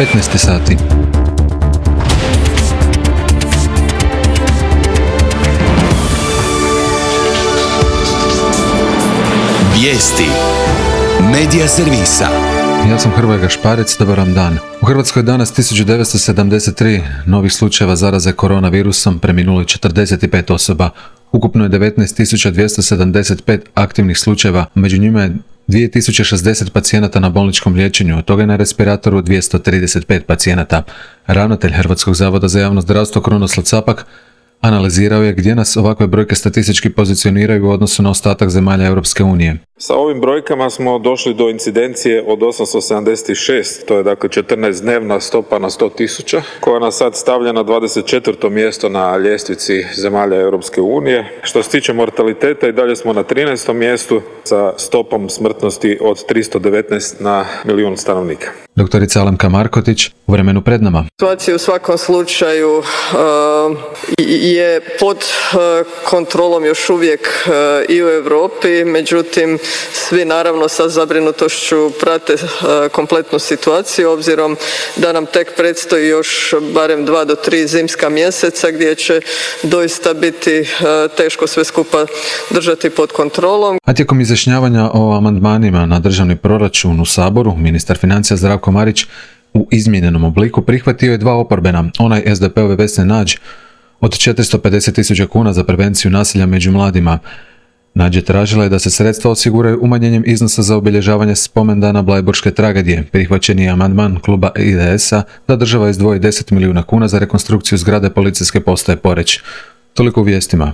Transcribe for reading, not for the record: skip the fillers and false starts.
15 sati. Vijesti Medija servisa. Ja sam Hrvoje Gašparec, dobar vam dan. U Hrvatskoj je danas 1973 novih slučajeva zaraze koronavirusom, preminulo je 45 osoba. Ukupno je 19.275 aktivnih slučajeva, među njima je 2060 pacijenata na bolničkom liječenju, od toga je na respiratoru 235 pacijenata. Ravnatelj Hrvatskog zavoda za javno zdravstvo Krunoslav Capak analizirao je gdje nas ovakve brojke statistički pozicioniraju u odnosu na ostatak zemalja Europske unije. Sa ovim brojkama smo došli do incidencije od 876, to je dakle 14-dnevna stopa na 100.000, koja nas sad stavlja na 24. mjesto na ljestvici zemalja Europske unije. Što se tiče mortaliteta, i dalje smo na 13. mjestu sa stopom smrtnosti od 319 na milijun stanovnika. Doktorica Alemka Markotić, u vremenu pred nama. Situacija u svakom slučaju je pod kontrolom još uvijek i u Europi, međutim svi naravno sa zabrinutošću prate kompletnu situaciju, obzirom da nam tek predstoji još barem 2 do 3 zimska mjeseca gdje će doista biti teško sve skupa držati pod kontrolom. A tijekom izjašnjavanja o amandmanima na državni proračun u Saboru, ministar financija Zdravko Marić u izmijenjenom obliku prihvatio je 2 oporbena, onaj SDP-ove Vesne Nađ od 450.000 kuna za prevenciju nasilja među mladima. Nađ tražila je da se sredstva osiguraju umanjenjem iznosa za obilježavanje spomendana Bleiburške tragedije. Prihvaćen je amandman kluba IDS-a da država izdvoji 10 milijuna kuna za rekonstrukciju zgrade policijske postaje Poreč. Toliko u vijestima.